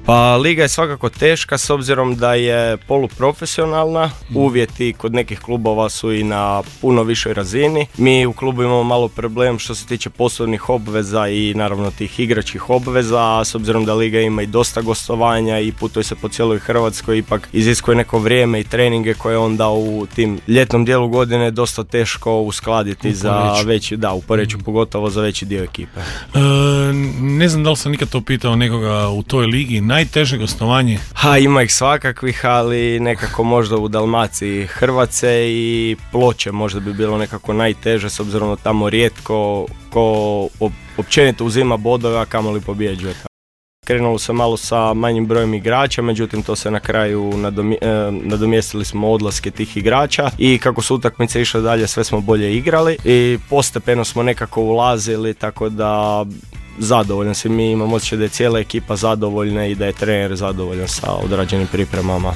Pa liga je svakako teška s obzirom da je poluprofesionalna, uvjeti kod nekih klubova su i na puno višoj razini. Mi u klubu imamo malo problem što se tiče poslovnih obveza i naravno tih igračkih obveza, a s obzirom da liga ima i dosta gostovanja i putuje se po cijeloj Hrvatskoj, ipak iziskuje neko vrijeme i treninge koje onda u tim ljetnom dijelu godine dosta teško uskladiti za veći, u Poreču pogotovo za veći dio ekipe. Ne znam da li sam nikad to pitao nekoga u toj ligi, najteže gostovanje? Ima ih svakakvih, ali nekako možda u Dalmaciji Hrvace i Ploče možda bi bilo nekako najteže s obzirom da tamo rijetko ko općenito uzima bodove, a kamoli pobjeđuje. Krenulo se malo sa manjim brojem igrača, međutim to se na kraju nadomjestili smo odlaske tih igrača i kako su utakmice išle dalje sve smo bolje igrali i postepeno smo nekako ulazili, tako da zadovoljan si, mi imamo osjećaj da je cijela ekipa zadovoljna i da je trener zadovoljan sa odrađenim pripremama.